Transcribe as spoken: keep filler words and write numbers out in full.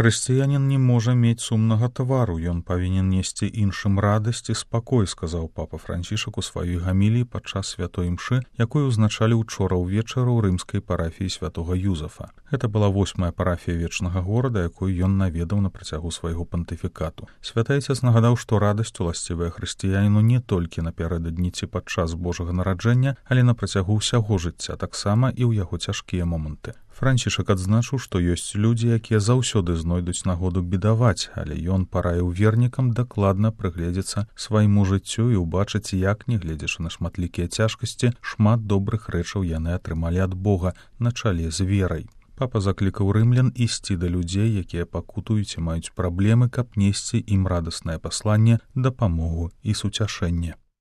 Хрысціянін не можа мець сумнага твару, ён павінен несці іншым радасць і спакой, сказаў папа Францішак у сваёй гаміліі падчас святой імшы, якую ўзначалі ўчора ўвечары ў рымскай парафіі святога Юзафа. Гэта была восьмая парафія вечнага горада, якую ён наведаў на працягу свайго пантыфікату. Святы Айцец нагадаў, што радасць уласцівая хрысціяніну не толькі напярэдадні ці падчас Божага нараджэння, але на працягу ўсяго жыцця, таксама і ў яго цяжкія моманты. Францішак адзначыў, што ёсць людзі, якія заўсёды знойдуць нагоду бедаваць, але ён параіў вернікам дакладна прыгледзецца свайму жыццю і ўбачыць, як, не гледзячы на шматлікія цяжкасці, шмат добрых рэчаў яны атрымалі ад Бога на чале з верай. Папа заклікаў рымлян ісці да людзей, якія пакутуюць і маюць праблемы, каб несці ім радаснае пасланне, дапамогу і суцяшэнне.